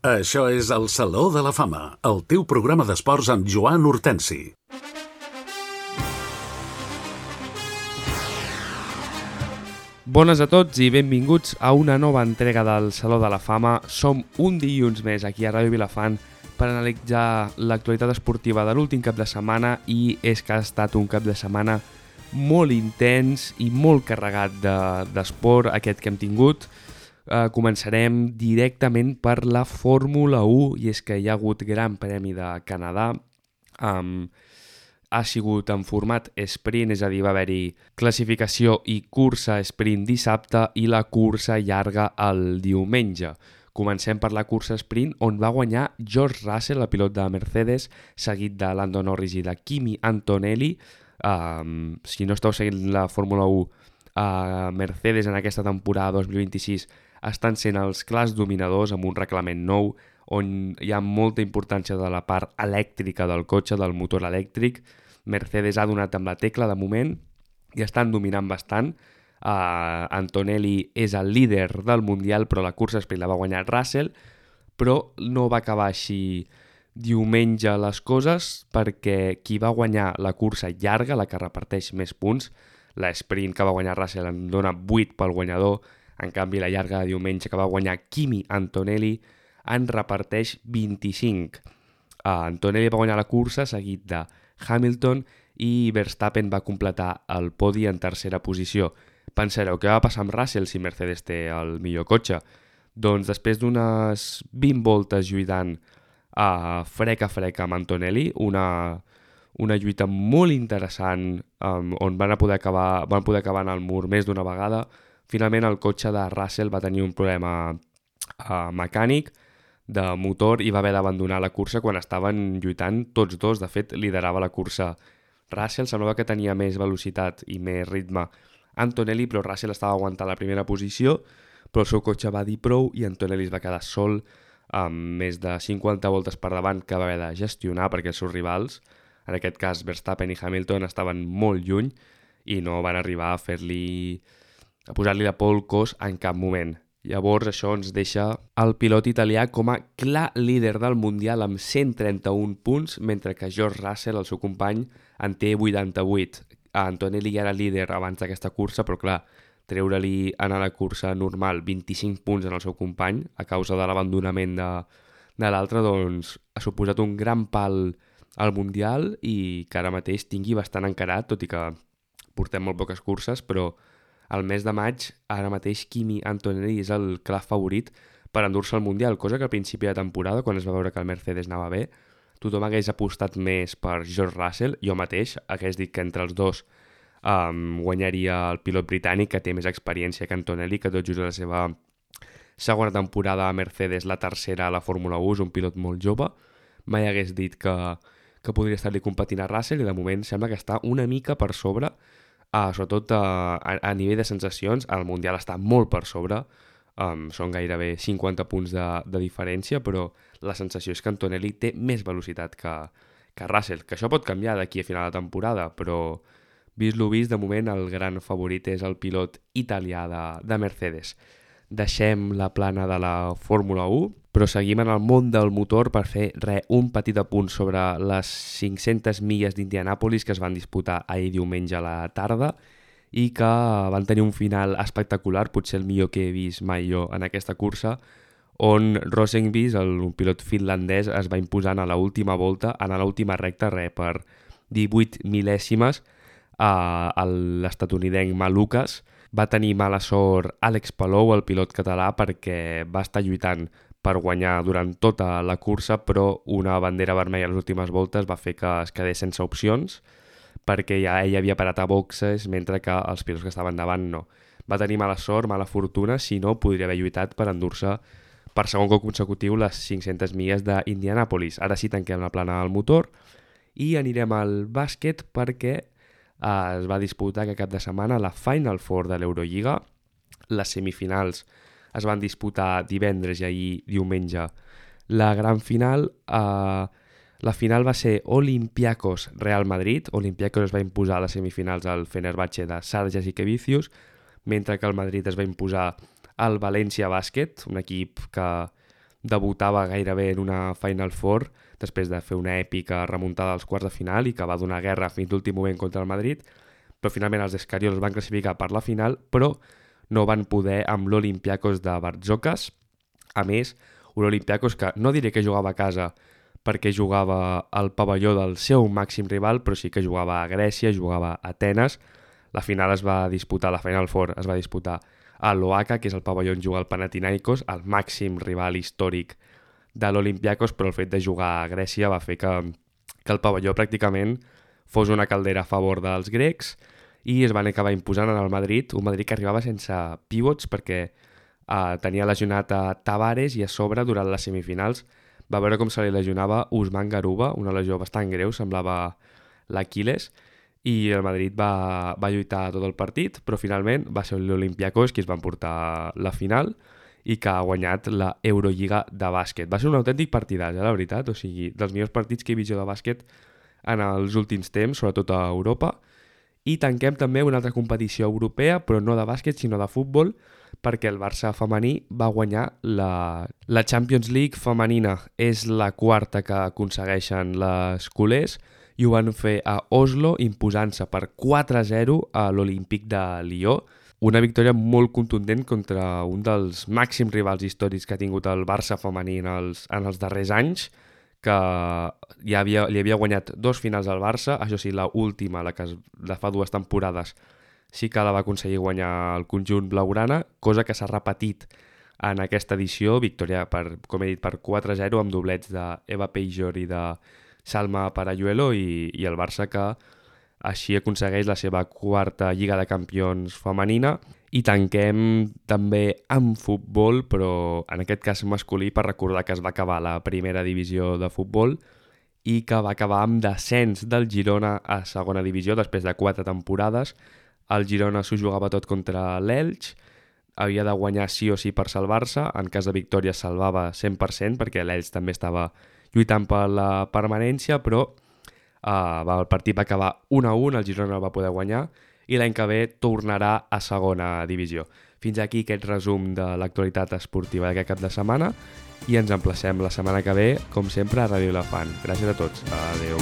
Això és el Saló de la Fama, el teu programa d'esports amb Joan Hortensi. Bones a tots i benvinguts a una nova entrega del Saló de la Fama. Som un dilluns més aquí a Ràdio Vilafant per analitzar l'actualitat esportiva de l'últim cap de setmana, i és que ha estat un cap de setmana molt intens i molt carregat d'esport aquest que hem tingut. Començarem directament per la Fórmula 1, i és que hi ha hagut Gran Premi de Canadà. Ha sigut en format sprint, és a dir, va haver-hi classificació i cursa sprint dissabte i la cursa llarga el diumenge. Comencem per la cursa sprint, on va guanyar George Russell, el pilot de Mercedes, seguit de Lando Norris i de Kimi Antonelli. Si no esteu seguint la Fórmula 1, Mercedes en aquesta temporada 2026 estan sent els clars dominadors amb un reglament nou on hi ha molta importància de la part elèctrica del cotxe, del motor elèctric. Mercedes ha donat amb la tecla de moment i estan dominant bastant. Antonelli és el líder del Mundial, però la cursa sprint la va guanyar Russell, però no va acabar així diumenge les coses, perquè qui va guanyar la cursa llarga, la que reparteix més punts, la sprint que va guanyar Russell en dona 8 pel guanyador, en canvi la llarga de diumenge que va guanyar Kimi Antonelli en reparteix 25. Antonelli va guanyar la cursa seguit de Hamilton i Verstappen va completar el podi en tercera posició. Pensareu, què va passar amb Russell si Mercedes té el millor cotxe? Doncs després d'unes 20 voltes lluitant frec a frec amb Antonelli, una lluita molt interessant on van poder acabar en el mur més d'una vegada. Finalment el cotxe de Russell va tenir un problema mecànic de motor i va haver d'abandonar la cursa quan estaven lluitant tots dos. De fet, liderava la cursa Russell, semblava que tenia més velocitat i més ritme Antonelli, però Russell estava aguantant la primera posició, però el seu cotxe va dir prou i Antonelli es va quedar sol amb més de 50 voltes per davant que va haver de gestionar perquè els seus rivals, en aquest cas Verstappen i Hamilton, estaven molt lluny i no van arribar a posar-li la por al cos en cap moment. Llavors això ens deixa el pilot italià com a clar líder del Mundial amb 131 punts, mentre que George Russell, el seu company, en té 88. Antonelli ja era líder abans d'aquesta cursa, però clar, treure-li en la cursa normal 25 punts en el seu company a causa de l'abandonament de l'altre, doncs ha suposat un gran pal al Mundial i que ara mateix tingui bastant encarat, tot i que portem molt poques curses, però al mes de maig, ara mateix, Kimi Antonelli és el clar favorit per endur-se al Mundial, cosa que al principi de temporada, quan es va veure que el Mercedes anava bé, tothom hagués apostat més per George Russell. Jo mateix hagués dit que entre els dos guanyaria el pilot britànic, que té més experiència que Antonelli, que tot just la seva segona temporada a Mercedes, la tercera a la Fórmula 1, és un pilot molt jove. Mai hagués dit que podria estar-li competint a Russell, i de moment sembla que està una mica per sobre. Sobretot a nivell de sensacions, el Mundial està molt per sobre, són gairebé 50 punts de diferència, però la sensació és que Antonelli té més velocitat que Russell, que això pot canviar d'aquí a final de temporada, però vist lo vist, de moment el gran favorit és el pilot italià de Mercedes. Deixem la plana de la Fórmula 1, però seguim en el món del motor per fer un petit apunt sobre les 500 milles d'Indianàpolis que es van disputar ahir diumenge a la tarda i que van tenir un final espectacular, potser el millor que he vist mai jo en aquesta cursa, on Rosenqvist, un pilot finlandès, es va imposant a l'última volta, en l'última recta, per 18 mil·lèsimes a l'estatunidenc Malukas. Va tenir mala sort Àlex Palou, el pilot català, perquè va estar lluitant per guanyar durant tota la cursa, però una bandera vermella a les últimes voltes va fer que es quedés sense opcions, perquè ja ell havia parat a boxes, mentre que els pilots que estaven davant no. Va tenir mala sort, mala fortuna, si no podria haver lluitat per endur-se per segon cop consecutiu les 500 milles d'Indianàpolis. Ara sí tanquem la plana del motor i anirem al bàsquet, perquè es va disputar aquest cap de setmana la Final Four de l'Eurolliga. Les semifinals es van disputar divendres i ahir diumenge la gran final. La final va ser Olympiacos-Real Madrid. Olympiacos es va imposar a les semifinals al Fenerbahçe de Sarjas i Kevicius, mentre que el Madrid es va imposar al València Bàsquet, un equip que debutava gairebé en una Final Four després de fer una èpica remuntada als quarts de final i que va donar guerra fins l'últim moment contra el Madrid, però finalment els Escariols van classificar per la final, però no van poder amb l'Olympiakos de Bartzokas. A més, un Olympiakos que no diré que jugava a casa perquè jugava al pavelló del seu màxim rival, però sí que jugava a Grècia, jugava a Atenes. La final es va disputar, la Final Four es va disputar a l'Oaca, que és el pavelló on juga el Panathinaikos, el màxim rival històric de l'Olympiakos, però el fet de jugar a Grècia va fer que el pavelló pràcticament fos una caldera a favor dels grecs i es van acabar imposant en el Madrid, un Madrid que arribava sense pivots perquè tenia lesionat a Tavares i a sobre durant les semifinals va veure com se li lesionava Usman Garuba, una lesió bastant greu, semblava l'Aquiles, i el Madrid va lluitar tot el partit, però finalment va ser l'Olympiakos qui es va emportar la final i que ha guanyat la Eurolliga de bàsquet. Va ser un autèntic partidàs, la veritat, o sigui, dels millors partits que he vist jo de bàsquet en els últims temps, sobretot a Europa. I tanquem també una altra competició europea, però no de bàsquet, sinó de futbol, perquè el Barça femení va guanyar la Champions League femenina. És la quarta que aconsegueixen les culers i ho van fer a Oslo, imposant-se per 4-0 a l'Olímpic de Lió. Una victòria molt contundent contra un dels màxims rivals històrics que ha tingut el Barça femení en els darrers anys, que li havia guanyat 2 finals al Barça, això sí, la última, la que de fa 2 temporades, sí que la va aconseguir guanyar el conjunt blaugrana, cosa que s'ha repetit en aquesta edició, victòria, com he dit, per 4-0 amb doblets d'Eva Pejor i de Salma Parayuelo i el Barça que així aconsegueix la seva quarta Lliga de Campions femenina. I tanquem també amb futbol, però en aquest cas masculí, per recordar que es va acabar la primera divisió de futbol i que va acabar amb descens del Girona a segona divisió després de 4 temporades. El Girona s'ho jugava tot contra l'Elx, havia de guanyar sí o sí per salvar-se, en cas de victòria es salvava 100% perquè l'Elx també estava lluitant per la permanència, però el partit va acabar 1-1, el Girona el va poder guanyar i l'any que ve tornarà a segona divisió. Fins aquí aquest resum de l'actualitat esportiva d'aquest cap de setmana i ens emplacem la setmana que ve, com sempre, a Ràdio Elefant. Gràcies a tots. Adéu.